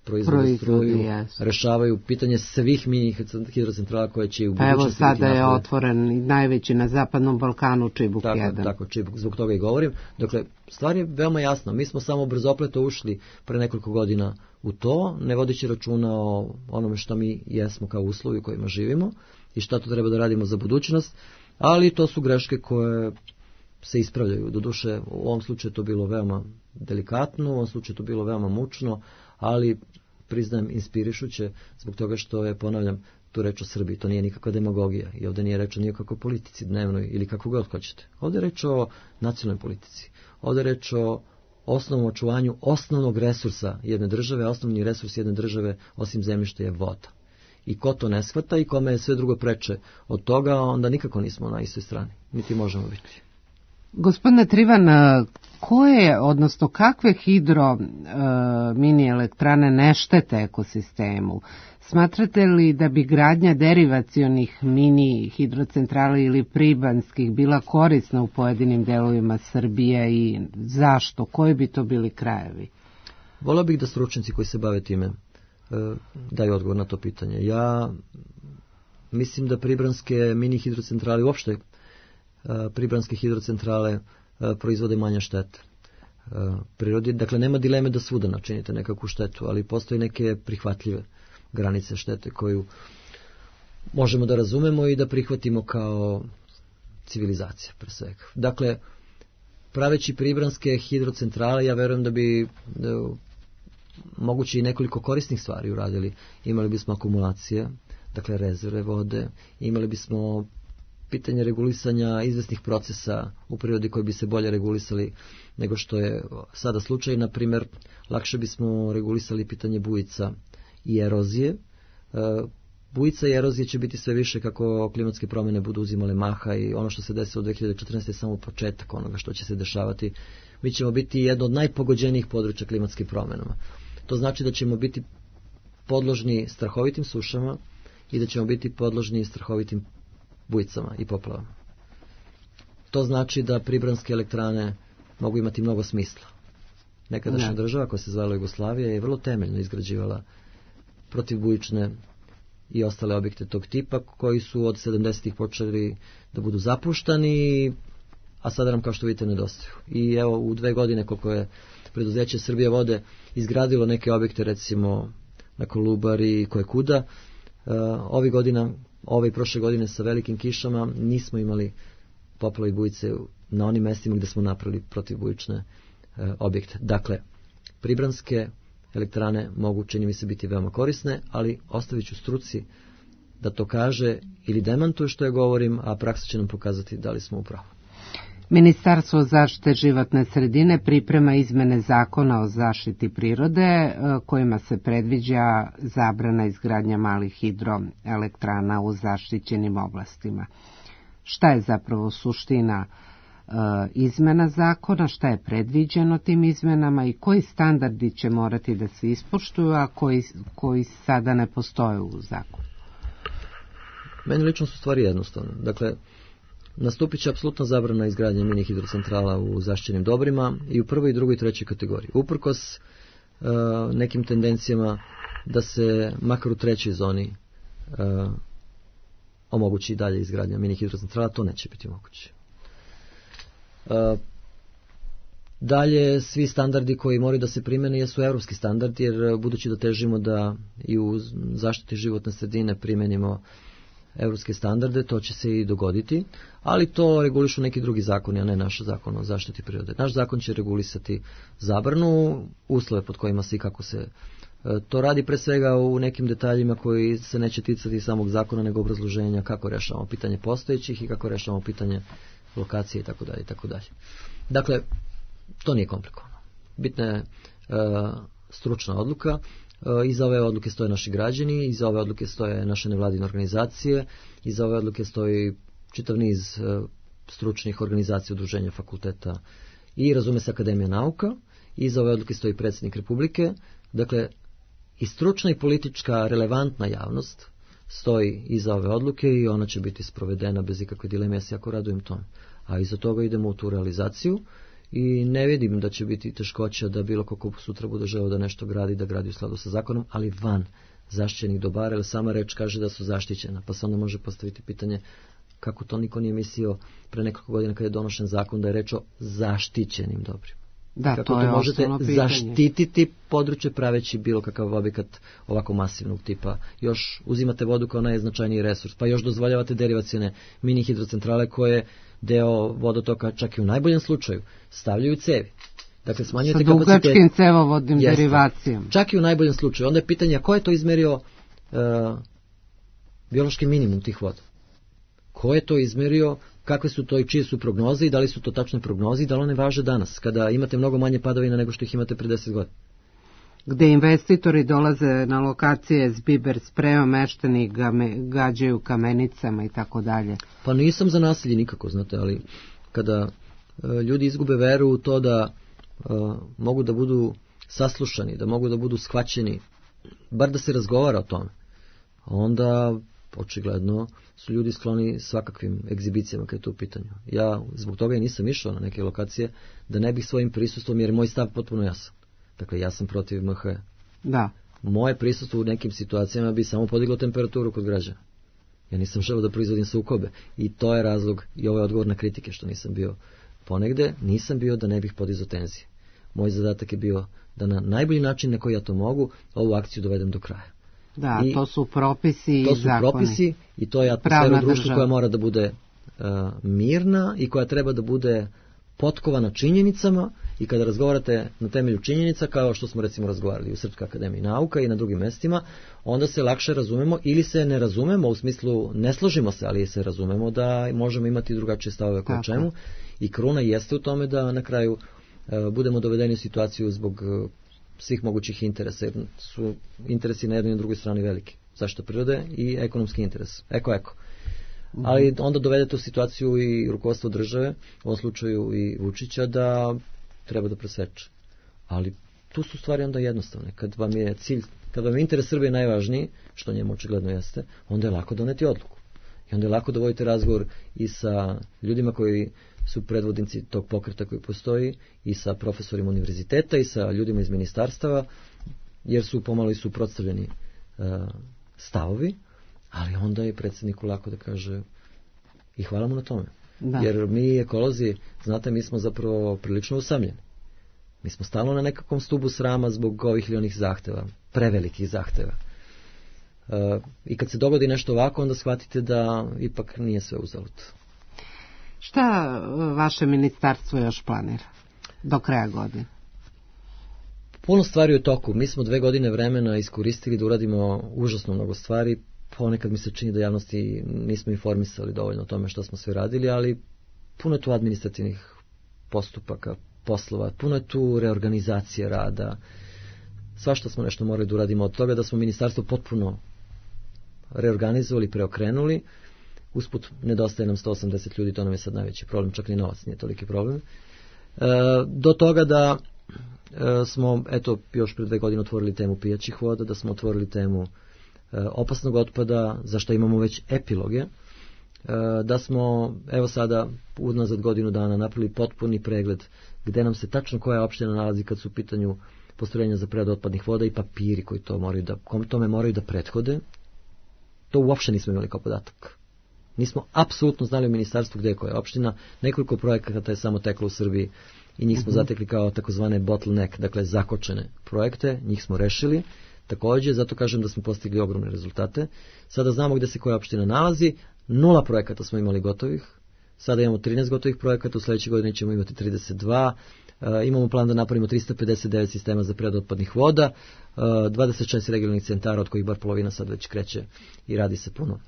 proizvode struju, rešavaju pitanje svih mini hidrocentrala koje će u budućnosti biti napravljene. Evo sada je otvoren najveći na Zapadnom Balkanu, Čibuk 1. Tako, Čibuk, zbog toga i govorim. Dakle, stvar je veoma jasna. Mi smo samo brzopleto ušli pre nekoliko godina u to, ne vodeći računa o onome što mi jesmo kao uslovi u kojima živimo i šta to treba da radimo za budućnost, ali to su greške koje se ispravljaju. Doduše, u ovom slučaju to bilo veoma delikatno, u ovom slučaju to bilo veoma mučno, ali priznajem inspirišuće zbog toga što je, ponavljam, tu reč o Srbiji. To nije nikakva demagogija i ovdje nije reč o nikakvoj politici dnevnoj ili kako god hoćete. Ovdje je reč o nacionalnoj politici. Ovdje je reč o osnovnom očuvanju osnovnog resursa jedne države, a osnovni resurs jedne države osim zemljišta je voda. I ko to ne shvata i kome je sve drugo preče od toga, onda nikako nismo na istoj strani, niti možemo biti. Gospodine Trivan, koje, odnosno kakve mini elektrane ne štete ekosistemu? Smatrate li da bi gradnja derivacionih mini hidrocentrala ili pribanskih bila korisna u pojedinim delovima Srbije i zašto? Koji bi to bili krajevi? Volio bih da stručnjaci koji se bave time daju odgovor na to pitanje. Ja mislim da pribranske mini hidrocentrale, uopšte pribranske hidrocentrale proizvode manje štete prirodi. Dakle, nema dileme da svuda načinite nekakvu štetu, ali postoje neke prihvatljive granice štete koju možemo da razumemo i da prihvatimo kao civilizacija pre svega. Dakle, praveći pribranske hidrocentrale, ja verujem da bi moguće i nekoliko korisnih stvari uradili. Imali bismo akumulacije, dakle rezerve vode, imali bismo pitanje regulisanja izvesnih procesa u prirodi koji bi se bolje regulisali nego što je sada slučaj. Na primjer, lakše bismo regulisali pitanje bujica i erozije. Bujica i erozije će biti sve više kako klimatske promjene budu uzimale maha i ono što se desilo u 2014. je samo početak onoga što će se dešavati. Mi ćemo biti jedno od najpogođenijih područja klimatskim promjenama. To znači da ćemo biti podložni strahovitim sušama i da ćemo biti podložni strahovitim bujicama i poplavama. To znači da pribranske elektrane mogu imati mnogo smisla. Nekadašnja država koja se zvala Jugoslavija je vrlo temeljno izgrađivala protivbujične i ostale objekte tog tipa koji su od 70-ih počeli da budu zapuštani, a sada nam kao što vidite nedostaju. I evo u 2 godine koliko je preduzeće Srbije vode izgradilo neke objekte, recimo na Kolubari i kojekuda, ove i prošle godine sa velikim kišama nismo imali poplave i bujice na onim mestima gdje smo napravili protivbujične objekte. Dakle, pribranske elektrane mogu, čini mi se, biti veoma korisne, ali ostavit ću struci da to kaže ili demantuje što ja govorim, a praksa će nam pokazati da li smo u pravu. Ministarstvo zaštite životne sredine priprema izmene zakona o zaštiti prirode kojima se predviđa zabrana izgradnja malih hidroelektrana u zaštićenim oblastima. Šta je zapravo suština izmena zakona, šta je predviđeno tim izmenama i koji standardi će morati da se ispoštuju, a koji sada ne postoje u zakonu? Meni lično su stvari jednostavne. Dakle, nastupit će apsolutna zabrana izgradnje mini hidrocentrala u zaštićenim dobrima i u 1., 2. i 3. kategoriji. Uprkos nekim tendencijama da se makar u 3. zoni omogući dalje izgradnja mini hidrocentrala, to neće biti moguće. Dalje, svi standardi koji moraju da se primene jesu evropski standardi, jer budući da težimo da i u zaštiti životne sredine primenimo evropske standarde, to će se i dogoditi, ali to regulišu neki drugi zakoni, a ne naš zakon o zaštiti prirode. Naš zakon će regulisati zabranu, uslove pod kojima se i kako se to radi, pre svega u nekim detaljima koji se neće ticati samog zakona, nego obrazloženja kako rešavamo pitanje postojećih i kako rešavamo pitanje lokacije itd. itd. Dakle, to nije komplikovano. Bitna je stručna odluka. Iza ove odluke stoje naši građani, iza ove odluke stoje naše nevladine organizacije, iza ove odluke stoji čitav niz stručnih organizacija, udruženja, fakulteta i razume se Akademija nauka, iza ove odluke stoji predsjednik Republike. Dakle, i stručna i politička relevantna javnost stoji iza ove odluke i ona će biti sprovedena bez ikakve dileme, ja se jako radujem tome. A iza toga idemo u tu realizaciju i ne vidim da će biti teškoća da bilo kako sutra bude želeo da nešto gradi, da gradi u skladu sa zakonom, ali van zaštićenih dobara, jer sama reč kaže da su zaštićena, pa se onda može postaviti pitanje kako to niko nije mislio pre nekoliko godina kada je donošen zakon da je reč o zaštićenim dobrima. Da, kako to je možete pitanje. Zaštititi područje praveći bilo kakav objekat ovako masivnog tipa. Još uzimate vodu kao najznačajniji resurs, pa još dozvoljavate derivacione mini hidrocentrale koje deo vodotoka, čak i u najboljem slučaju, stavljaju cevi. Dakle, smanjujete sa dugačkim cevovodnim derivacijama. Čak i u najboljem slučaju. Onda je pitanje ko je to izmerio biološki minimum tih voda. Ko je to izmerio, kakve su to i čije su prognoze i da li su to tačne prognoze i da li one važe danas, kada imate mnogo manje padavina nego što ih imate pre 10 godina. Gde investitori dolaze na lokacije s biber sprejom, meštani gađaju kamenicama i tako dalje. Pa nisam za nasilje nikako, znate, ali kada ljudi izgube veru u to da mogu da budu saslušani, da mogu da budu shvaćeni, bar da se razgovara o tome, onda očigledno su ljudi skloni svakakvim egzibicijama kad je to u pitanju. Ja zbog toga i nisam išao na neke lokacije da ne bih svojim prisustvom, jer je moj stav potpuno jasan. Dakle, ja sam protiv MH. Da. Moje prisustvo u nekim situacijama bi samo podiglo temperaturu kod građana. Ja nisam želeo da proizvodim sukobe. I to je razlog, i ovo je odgovor na kritike što nisam bio ponegde, nisam bio da ne bih podizao tenzije. Moj zadatak je bio da na najbolji način na koji ja to mogu, ovu akciju dovedem do kraja. Da, i to su propisi i zakoni. To su propisi i to je atmosfera u društvu koja mora da bude mirna i koja treba da bude potkovana činjenicama i kada razgovarate na temelju činjenica, kao što smo recimo razgovarali u Srpskoj akademiji nauka i na drugim mestima, onda se lakše razumemo ili se ne razumemo, u smislu ne složimo se, ali se razumemo da možemo imati drugačije stavove o čemu i kruna jeste u tome da na kraju budemo dovedeni u situaciju zbog svih mogućih interesa, jer su interesi na jednoj i na drugoj strani veliki. Zašto prirode i ekonomski interes. Eko. Ali onda dovedete u situaciju i rukovodstvo države, u ovom slučaju i Vučića, da treba da preseče. Ali tu su stvari onda jednostavne. Kad vam je cilj, kad vam je interes Srbije najvažniji, što njemu očigledno jeste, onda je lako doneti odluku. I onda je lako da vodite razgovor i sa ljudima koji su predvodnici tog pokreta koji postoji, i sa profesorima univerziteta, i sa ljudima iz ministarstava, jer su pomalo i suprotstavljeni stavovi, ali onda je predsjedniku lako da kaže i hvala mu na tome. Da. Jer mi ekolozi, znate, mi smo zapravo prilično usamljeni. Mi smo stalno na nekakvom stubu srama zbog ovih ili onih zahteva, prevelikih zahteva. I kad se dogodi nešto ovako, onda shvatite da ipak nije sve uzalud. Šta vaše ministarstvo još planira do kraja godine? Puno stvari u toku. Mi smo 2 godine vremena iskoristili da uradimo užasno mnogo stvari. Ponekad mi se čini da javnosti nismo informisali dovoljno o tome što smo sve radili, ali puno je tu administrativnih postupaka, poslova, puno je tu reorganizacije rada. Svašta smo nešto morali da uradimo od toga da smo ministarstvo potpuno reorganizovali, preokrenuli. Usput nedostaje nam 180 ljudi, to nam je sad najveći problem, čak ni novac nije toliki problem. Do toga da smo, eto, još pre 2 godine otvorili temu pijaćih voda, da smo otvorili temu opasnog otpada, za što imamo već epiloge, da smo, evo sada, unazad godinu dana napravili potpuni pregled gde nam se tačno koja opština nalazi kad su u pitanju postrojenja za preradu otpadnih voda i papiri koji tome moraju da prethode. To uopšte nismo imali kao podatak. Nismo apsolutno znali u ministarstvu gde je koja opština. Nekoliko projekata je samo teklo u Srbiji i njih smo zatekli kao takozvane bottleneck, dakle zakočene projekte, njih smo rešili. Takođe, zato kažem da smo postigli ogromne rezultate. Sada znamo gde se koja opština nalazi, 0 projekata smo imali gotovih, sada imamo 13 gotovih projekata, u sledećoj godini ćemo imati 32, imamo plan da napravimo 359 sistema za preradu otpadnih voda, 26 regionalnih centara, od kojih bar polovina sad već kreće i radi se puno.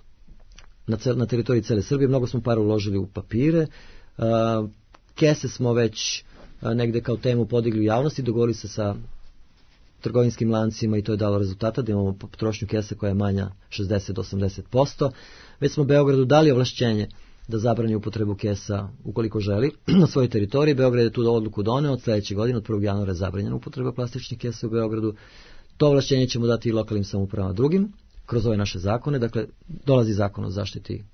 Na teritoriji cele Srbije mnogo smo para uložili u papire, kese smo već negde kao temu podigli u javnosti, dogovorili se sa trgovinskim lancima i to je dalo rezultata da imamo potrošnju kesa koja je manja 60 do 80%. Već smo Beogradu dali ovlašćenje da zabrani upotrebu kesa ukoliko želi na svojoj teritoriji. Beograd je tu odluku doneo, od sledeće godine, od 1. januara je zabranjena upotreba plastičnih kesa u Beogradu. To ovlašćenje ćemo dati i lokalnim samoupravama drugim, kroz ove naše zakone. Dakle, dolazi zakon o zaštiti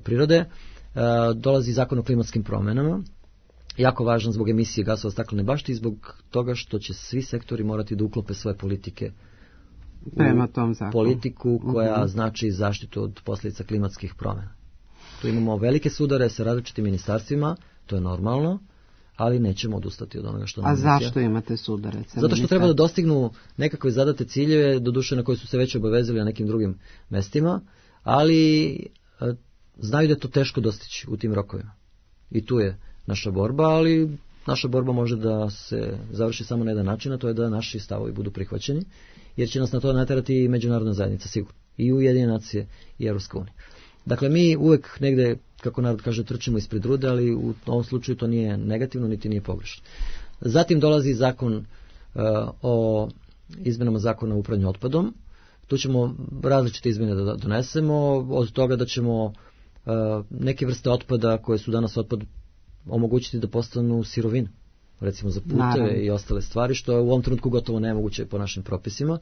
prirode, dolazi zakon o klimatskim promenama, jako važan zbog emisije gasova staklene bašte i zbog toga što će svi sektori morati da uklope svoje politike prema tom zakonu. Politiku koja znači zaštitu od posljedica klimatskih promjena. Tu imamo velike sudare sa različitim ministarstvima, to je normalno, ali nećemo odustati od onoga što nam misija. A zašto imate sudare? Zato što treba da dostignu nekakve zadate ciljeve, doduše na koje su se već obavezali na nekim drugim mestima, ali znaju da je to teško dostići u tim rokovima. I tu je naša borba, ali naša borba može da se završi samo na jedan način, a to je da naši stavovi budu prihvaćeni, jer će nas na to naterati i međunarodna zajednica, sigurno. I Ujedinjene nacije i Evropska unija. Dakle, mi uvek negde, kako narod kaže, trčimo ispred rude, ali u ovom slučaju to nije negativno, niti nije pogrešno. Zatim dolazi zakon o izmenama zakona o upravljanju otpadom. Tu ćemo različite izmene da donesemo, od toga da ćemo neke vrste otpada koje su danas otpad omogućiti da postanu sirovine, recimo za puteve i ostale stvari, što je u ovom trenutku gotovo nemoguće po našim propisima.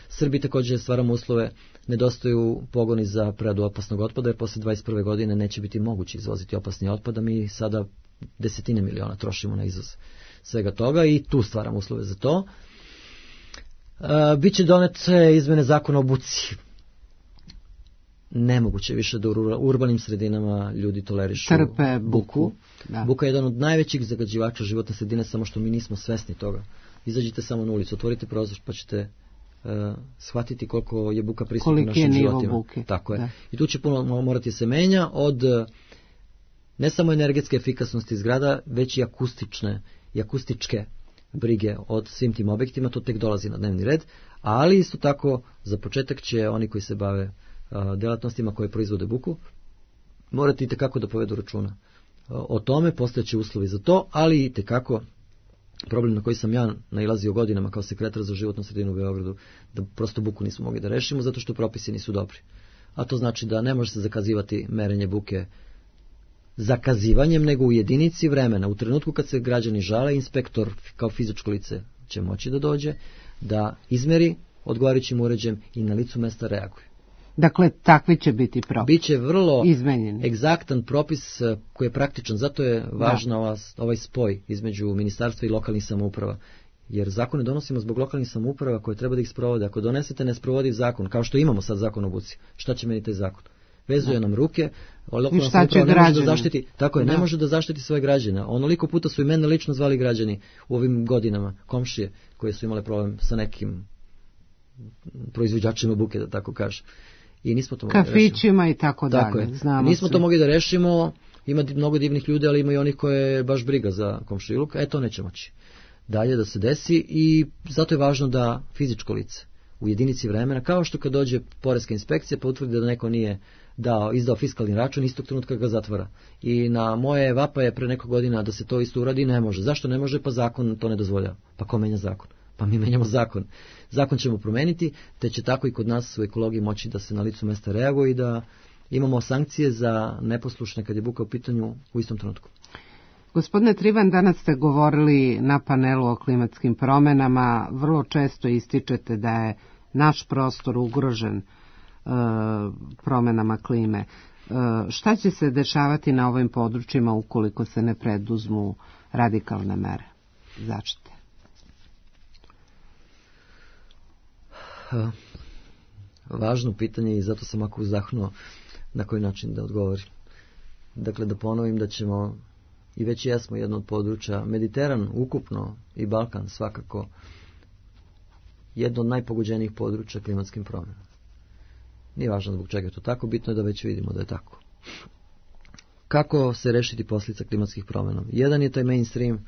Srbiji također stvaramo uslove, nedostaju pogoni za preradu opasnog otpada, jer posle 21. godine neće biti moguće izvoziti opasni otpad, a mi sada desetine miliona trošimo na izvoz svega toga i tu stvaramo uslove za to. Biće donete izmene zakona o buci. Nemoguće više da u urbanim sredinama ljudi tolerišu trpe buku. Da. Buka je jedan od najvećih zagađivača životne sredine, samo što mi nismo svesni toga. Izađite samo na ulicu, otvorite prozor pa ćete shvatiti koliko je buka prisutna u našim životima. Buke. Tako je. Da. I tu će puno morati se menja od ne samo energetske efikasnosti zgrada, već i akustičke brige od svim tim objektima, to tek dolazi na dnevni red, ali isto tako za početak će oni koji se bave delatnostima koje proizvode buku morati itekako da povedu računa o tome, postojeći uslovi za to, ali itekako problem na koji sam ja nailazio godinama kao sekretar za životnu sredinu u Beogradu, da prosto buku nismo mogli da rešimo zato što propisi nisu dobri. A to znači da ne može se zakazivati merenje buke zakazivanjem, nego u jedinici vremena. U trenutku kad se građani žale, inspektor kao fizičko lice će moći da dođe, da izmeri odgovarajućim uređajem i na licu mesta reaguje. Dakle, takvi će biti propis. Biće vrlo izmenjeni. Egzaktan propis koji je praktičan, zato je važno ovaj spoj između ministarstva i lokalnih samouprava. Jer zakone donosimo zbog lokalnih samouprava koje treba da ih sprovode. Ako donesete nesprovodiv zakon, kao što imamo sad zakon o buci, šta će meni taj zakon? Vezuje nam ruke, lokalna samouprava ne može da zaštiti, tako je, ne može da zaštiti svoje građane. Onoliko puta su i mene lično zvali građani u ovim godinama, komšije koje su imale problem sa nekim proizvođačima buke, da tako kažem. I nismo to mogli da rešimo. Kafićima i tako dalje. Nismo to mogli da rešimo, ima mnogo divnih ljudi, ali ima i onih koje je baš briga za komšiluk, to neće moći dalje da se desi i zato je važno da fizičko lice u jedinici vremena, kao što kad dođe poreska inspekcija pa utvrdi da neko nije izdao fiskalni račun, istog trenutka ga zatvara. I na moje vapaje pre nekog godina da se to isto uradi, ne može. Zašto ne može? Pa zakon to ne dozvoljava. Pa ko menja zakon? Pa mi menjamo zakon. Zakon ćemo promeniti, te će tako i kod nas u ekologiji moći da se na licu mesta reaguje i da imamo sankcije za neposlušne kad je buka u pitanju u istom trenutku. Gospodine Trivan, danas ste govorili na panelu o klimatskim promenama. Vrlo često ističete da je naš prostor ugrožen promenama klime. Šta će se dešavati na ovim područjima ukoliko se ne preduzmu radikalne mere zaštite? Važno pitanje i zato sam ako uzahnuo na koji način da odgovorim. Dakle, da ponovim da ćemo, i već jesmo jedno od područja, Mediteran ukupno i Balkan svakako, jedno od najpogođenijih područja klimatskim promjenama. Nije važno zbog čega je to tako, bitno je da već vidimo da je tako. Kako se rešiti posljedica klimatskih promjena? Jedan je taj mainstream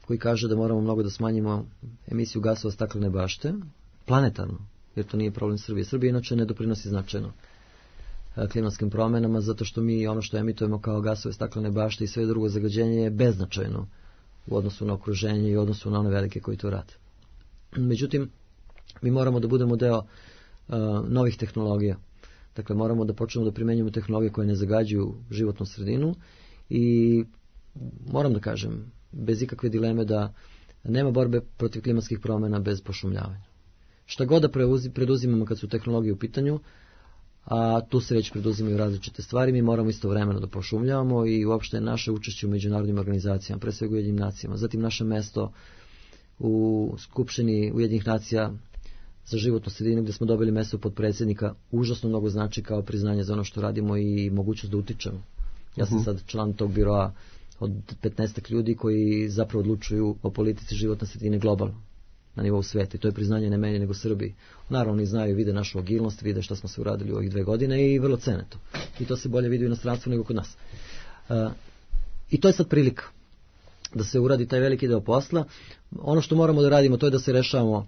koji kaže da moramo mnogo da smanjimo emisiju gasova staklene bašte, planetarno, jer to nije problem Srbije. Srbija inače ne doprinosi značajno klimatskim promjenama, zato što mi ono što emitujemo kao gasove staklene bašte i sve drugo zagađenje je beznačajno u odnosu na okruženje i u odnosu na one velike koji to rade. Međutim, mi moramo da budemo deo novih tehnologija. Dakle, moramo da počnemo da primenjujemo tehnologije koje ne zagađuju životnu sredinu i moram da kažem, bez ikakve dileme da nema borbe protiv klimatskih promjena bez pošumljavanja. Šta god da preduzimamo kad su tehnologije u pitanju, a tu se već preduzimaju različite stvari, mi moramo istovremeno da pošumljavamo i uopšte naše učešće u međunarodnim organizacijama, pre svega Ujedinjenim nacijama, zatim naše mesto u Skupštini Ujedinjenih nacija za životnu sredinu gdje smo dobili mesto podpredsjednika, užasno mnogo znači kao priznanje za ono što radimo i mogućnost da utičemo. Ja sam sad član tog biroa od 15 ljudi koji zapravo odlučuju o politici životne sredine globalno na nivou sveta i to je priznanje ne meni nego Srbiji. Naravno oni znaju, vide našu agilnost, vide šta smo se uradili u ovih 2 godine i vrlo cene to. I to se bolje vidi u inostranstvu nego kod nas. I to je sad prilika. da se uradi taj veliki deo posla. Ono što moramo da radimo to je da se rešavamo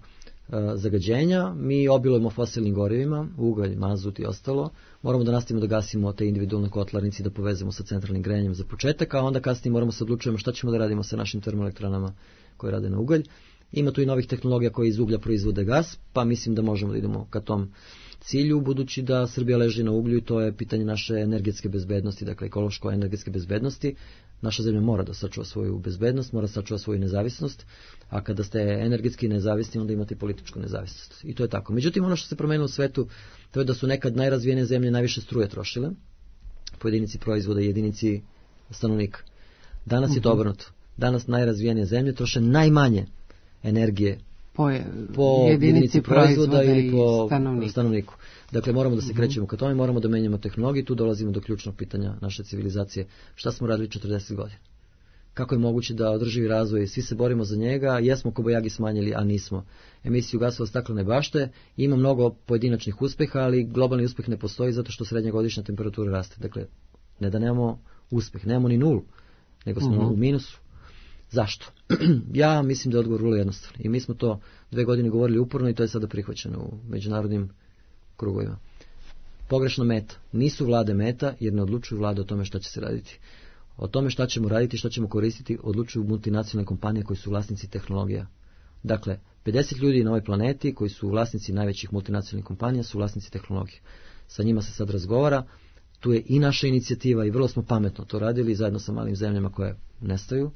zagađenja, mi obilujemo fosilnim gorivima, ugalj, mazut i ostalo, moramo da nastavimo da gasimo te individualne kotlarnice i da povezemo sa centralnim grejanjem za početak, a onda kasnije moramo se odlučujemo šta ćemo da radimo sa našim termoelektranama koje rade na ugalj. Ima tu i novih tehnologija koje iz uglja proizvode gas, pa mislim da možemo da idemo ka tom cilju, budući da Srbija leži na uglju i to je pitanje naše energetske bezbednosti, dakle ekološko-energetske bezbednosti. Naša zemlja mora da sačuva svoju bezbednost, mora da sačuva svoju nezavisnost, a kada ste energetski nezavisni, onda imate političku nezavisnost. I to je tako. Međutim, ono što se promenilo u svetu, to je da su nekad najrazvijenije zemlje najviše struje trošile, po jedinici proizvoda i jedinici stanovnika. Danas je to obrnuto. Danas najrazvijenije zemlje troše najmanje energije po jedinici proizvoda ili po stanovniku. Dakle, moramo da se krećemo ka tome, moramo da menjamo tehnologiju, tu dolazimo do ključnog pitanja naše civilizacije. Šta smo radili 40 godina? Kako je moguće da održivi razvoj, svi se borimo za njega, jesmo kobajagi smanjili, a nismo. Emisiju gasova staklene bašte, ima mnogo pojedinačnih uspeha, ali globalni uspeh ne postoji zato što srednja godišnja temperatura raste. Dakle, ne da nemamo uspeh, nemamo ni nulu, nego smo u minusu. Zašto? Ja mislim da je odgovor vrlo jednostavan. I mi smo to 2 godine govorili uporno i to je sada prihvaćeno u međunarodnim krugovima. Pogrešna meta. Nisu vlade meta jer ne odlučuju vlade o tome šta će se raditi. O tome šta ćemo raditi, šta ćemo koristiti, odlučuju multinacionalne kompanije koji su vlasnici tehnologija. Dakle, 50 ljudi na ovoj planeti koji su vlasnici najvećih multinacionalnih kompanija su vlasnici tehnologije. Sa njima se sad razgovara. Tu je i naša inicijativa i vrlo smo pametno to radili zajedno sa malim zemljama koje nestaju.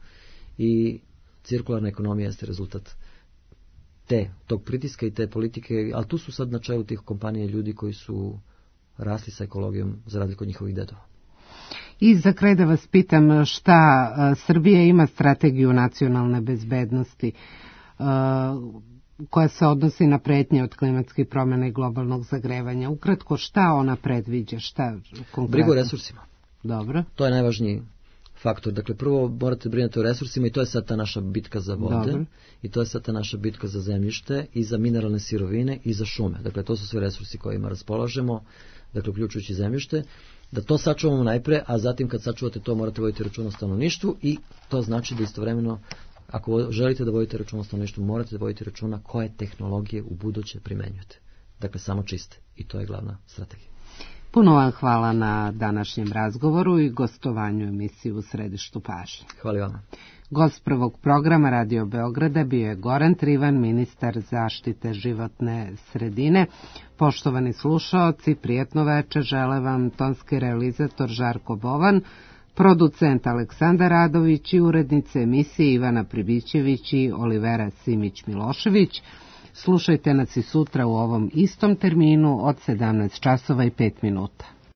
I cirkularna ekonomija jeste rezultat tog pritiska i te politike, ali tu su sad na čelu tih kompanija ljudi koji su rasli sa ekologijom za razliku od njihovih dedova. I za kraj da vas pitam šta Srbija ima strategiju nacionalne bezbednosti koja se odnosi na pretnje od klimatskih promjena i globalnog zagrevanja. Ukratko, šta ona predviđa? Šta konkretno? Brigu o resursima. Dobro. To je najvažniji faktor. Dakle, prvo morate brinuti o resursima i to je sad ta naša bitka za vode. Dobro. I to je sad ta naša bitka za zemljište i za mineralne sirovine i za šume. Dakle, to su sve resursi kojima raspolažemo, dakle, uključujući zemljište. Da to sačuvamo najpre, a zatim kad sačuvate to morate voditi računa o stanovništvu i to znači da istovremeno, ako želite da vodite računa o stanovništvu, morate da vodite računa koje tehnologije u buduće primenjujete. Dakle, samo čiste. I to je glavna strategija. Puno vam hvala na današnjem razgovoru i gostovanju emisiju u središtu pažnje. Hvala vama. Gost prvog programa Radio Beograda bio je Goran Trivan, ministar zaštite životne sredine. Poštovani slušaoci, prijetno večer žele vam tonski realizator Žarko Bovan, producent Aleksandar Radović i urednice emisije Ivana Pribićević i Olivera Simić-Milošević. Slušajte nas i sutra u ovom istom terminu od 17 časova i 5 minuta.